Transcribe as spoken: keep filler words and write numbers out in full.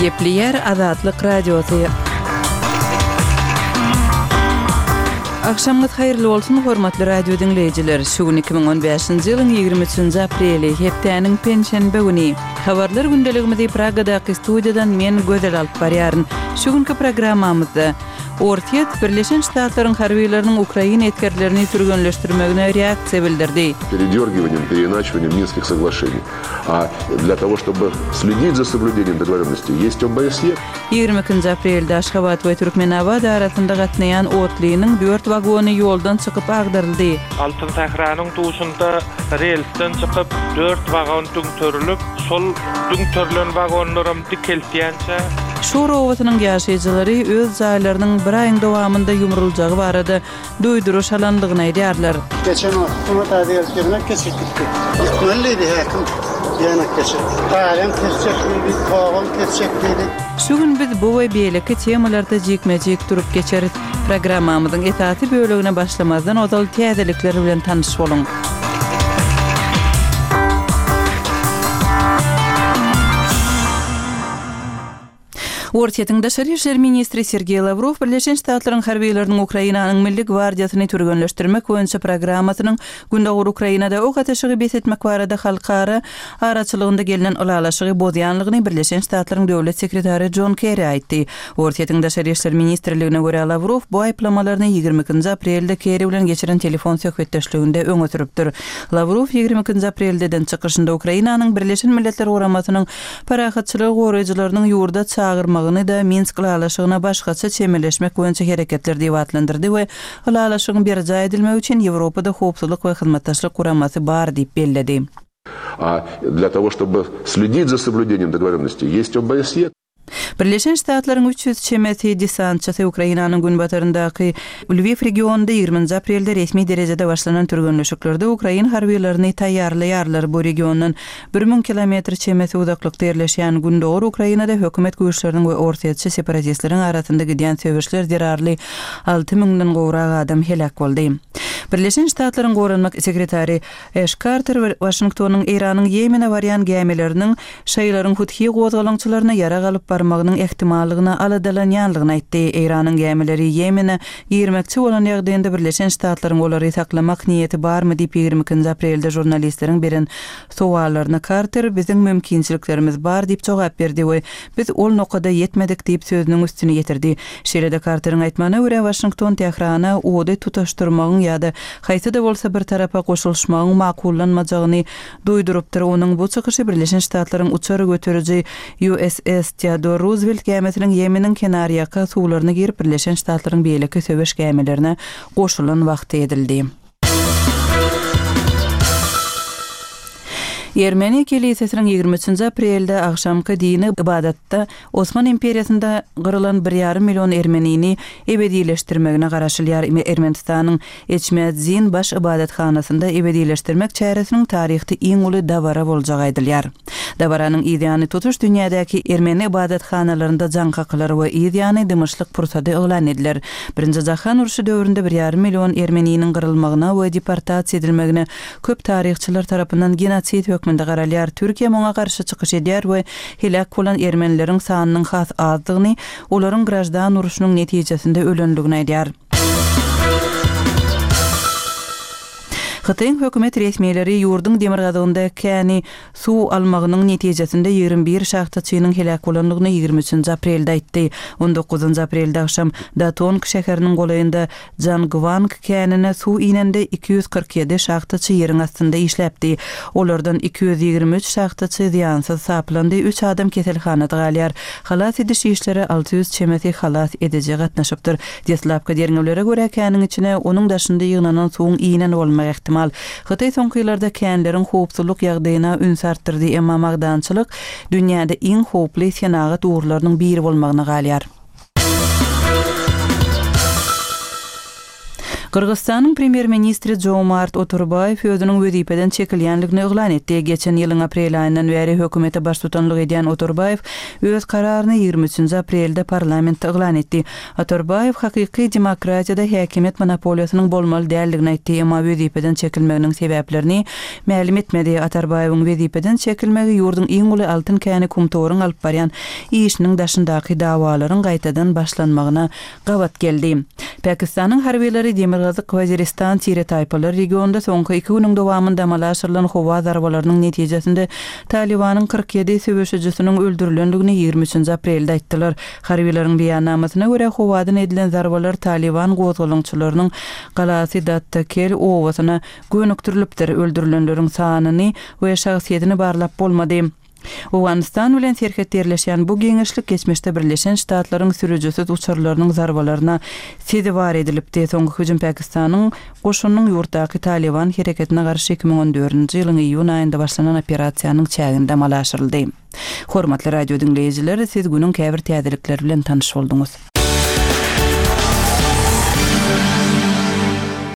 Gepleýär Azatlyk Radiosy. Agşamyňyz haýyrly bolsun, hormatly radio diňleýjiler. Şu gün iki müň on bäşinji ýylyň ýigrimi üçünji apreli, hepdäniň penşenbe güni. Habarlar gündeligimizi Pragadaky studiýadan men Gözel alyp barýaryn. Şu günki programmamyzda Orsýet Birleşen Ştatlaryň harbylarynyň Ukraina esgerlerini türgenleşdirmegine reaksiýa bildirdi. Передергиванием, переиначиванием Минских соглашений. А для того, чтобы следить за соблюдением договоренности, есть ОБСЕ. Ýigrimi ikinji aprelde Aşgabat we Türkmenabat arasynda gatnaýan otlynyň dört wagony ýoldan çykyp agdaryldy. Altyn Sähranyň duşunda relsden çykyp dört wagon düňterilip, şol düňterilen wagonlaram dikeltýänçä Şor obasynyň ýaşaýjylary öz jaýlarynyň bir aýyň dowamynda ýumruljagy barada duýduryş alandygyny aýdýarlar. Geçen wagt taze gelip geçip gitdi. Gitmeli häkim ýanak geçip. Taýyn kesjek diýdi, togum kesjek diýdi. Şu gün biz bu we beýleki temalarda jikme-jik durup geçeris. Programmamyzyň esasy bölegine başlamazdan ozal täzelikler bilen tanyş boluň. Orsýetiň daşary işler ministri Sergeý Lawrow Birleşen Ştatlaryň harbylarynyň Ukrainanyň Milli gwardiýasyny türgenleşdirmek boýunça programmasynyň Gündogar Ukrainada ok atyşygy bes etmek barada halkara araçylygynda gelnen ylalaşygy bozýanlygyny Birleşen Ştatlaryň döwlet sekretary John Kerry aýtdy. Orsýetiň daşary işler ministrligine görä Lawrow bu aýyplamalaryny ýigrimi ikinji aprelde Kerry bilen geçiren telefon söhbetdeşliginde öňe sürüpdir. Lawrow ýigrimi ikinji apreldeden çykyşynda Ukrainanyň Birleşen Milletler Guramasynyň parahatçylygy goraýjylarynyň ýurda çagyrmagyny da Minsk ylalaşygyna başgaça çemeleşmek boýunça hereketler diýip atlandyrdy we ylalaşygyň berjaý edilmegi üçin Ýewropada howpsuzlyk we hyzmatdaşlyk guramasy bar diýip belledi. А для того, чтобы следить за соблюдением договоренности, есть ОБСЕ. Birleşen Ştatlaryň üç ýüz çemesi desantçysy Ukrainanyň günbataryndaky Lwiw regionynda ýigriminji aprelde resmi derejede başlanan türgenleşiklerde Ukrain harbylaryny taýýarlaýarlar. Bu regiondan bir müň kilometr çemesi uzaklykda ýerleşýän Gündogar Ukrainada hökümet güýçleriniň we orsýetçi separatistleriň arasynda gidýän söweşler zerarly alty müňden gowrak adam heläk boldy. Birleşen Ştatlaryň goranmak sekretary Ash Carter we Washingtonyň Eýranyň Ýemene barýan gämileriniň şaýlaryň Huthi gozgalaňçylaryna ýarag alyp barmagynyň ehtimallygyna aladalanýanlygyny aýtdy. Eýranyň gämileri Ýemene girmekçi bolan ýagdaýynda Birleşen Ştatlaryň olary saklamak niýeti barmy diýip ýigrimi ikinji aprelde žurnalistleriň beren sowallaryna Carter biziň mümkinçiliklerimiz bar diýip jogap berdi we biz ol nokada ýetmedik diýip sözüniň üstüni ýetirdi. Şeýle-de Carteriň aýtmagyna görä Washington Tährana ody tutaşdyrmagyň ýa-da haýsy-da bolsa bir tarapa goşulyşmagyň makullanmajagyny duýdurypdyr. Onuň bu çykyşy Birleşen Ştatlaryň uçar göteriji U S S Theodore Roosevelt gämisiniň Ýemeniň kenarýaka suwlaryna girip Birleşen Ştatlaryň beýleki söweş gämilerine goşulan wagty edildi. Ermeni kelisesiniň ýigrimi üçünji aprelde agşamky dini ibadatda Osman imperiýasynda gyrylan bir ýarym million ermenini ebedileşdirmegine garaşylýar. Ermenistanyň Eçmedzin baş ibadathanasynda ebedileşdirmek çäresiniň taryhda iň uly dabara boljagy aýdylýar. Dabaranyň ýany tutuş dünýädäki ermeni ibadathanalarynda jaň kakylar we ýany dymyşlyk pursady yglan ediler. Birinji Jahan urşy döwründe bir ýarym million ermeniniň gyrylmagyna we deportasiýa edilmegine köp taryhçylar tarapyndan genosid hökmünde garalýar. Türkiýe muňa garşy çykyş edýär we heläk bolan ermenileriň sanynyň has azdygyny, olaryň grajdan urşunyň netijesinde ölenligini aýdýar. Hytaýyň hökümet resmileri ýurduň demirgazygynda käni suw almagynyň netijesinde ýigrimi bir şahtaçynyň heläk bolanlygyny ýigrimi üçünji aprelde aýtdy. On dokuzynjy aprelde agşam Datong şäheriniň golaýynda Jangwang känine suw inende iki ýüz kyrk ýedi şahtaçy ýeriň astynda işläpdi. Olardan iki ýüz ýigrimi üç şahtaçy zyýansyz saplandy, üç adam keselhanada galýar. Halas ediş işleri alty ýüz çemesi halas ediji gatnaşypdyr. Deslapky derňewlere görä käniň içine onuň daşynda ýygnanan suwuň inen bolmagy ähtimal. Hytaý soňky ýyllarda känleriň howpsuzlyk ýagdaýyna üns artdyrdy, emma magdançylyk dünýäde iň howply senagat ugurlarynyň biri bolmagyna galýar. Gyrgyzystanyň premýer-ministri Joomart Otorbaýew özüniň wezipeden çekilýänligini yglan etdi. Geçen ýylyň aprel aýyndan bäri hökümete baştutanlyk edýän Otorbaýew öz kararyny ýigrimi üçünji aprelde parlamentde yglan etdi. Otorbaýew hakyky demokratiýada häkimiýet monopoliýasynyň bolmaly däldigini aýtdy, emma wezipeden çekilmeginiň sebäplerini mälim etmedi. Otorbaýewiň wezipeden çekilmegi ýurduň iň uly altyn käni Kumtoryň alyp barýan işiniň daşyndaky dawalaryň gaýtadan başlanmagyna gabat geldi. Pakistanyň harbylary Demirgazyk Waziristan tire-taýpalar regionynda soňky iki günüň dowamynda amala aşyrylan howa zarbalarynyň netijesinde Talybanyň kyrk ýedi söweşijisiniň öldürilendigini ýigrimi üçünji aprelde aýtdylar. Harbylaryň beýannamasyna görä, howadan edilen zarbalar Talyban gozgalaňçylarynyň galasy Dattakel obasyna gönükdirilipdir. Öldürilenleriň sanyny we şahsyýetini barlap bolmady. Owganystan bilen serhetde ýerleşýän bu giňişlik geçmişde Birleşen Ştatlaryň sürüjisiz uçarlarynyň zarbalaryna sezewar edilipdi. Soňky hüjüm Pakistanyň goşunynyň ýurtdaky Talyban hereketine garşy iki müň on dördünji ýylyň iýun aýynda başlanan operasiýanyň çäginde amala aşyryldy. Hormatly radio diňleýjiler, siz günüň käbir täzelikleri bilen tanyş bolduňyz.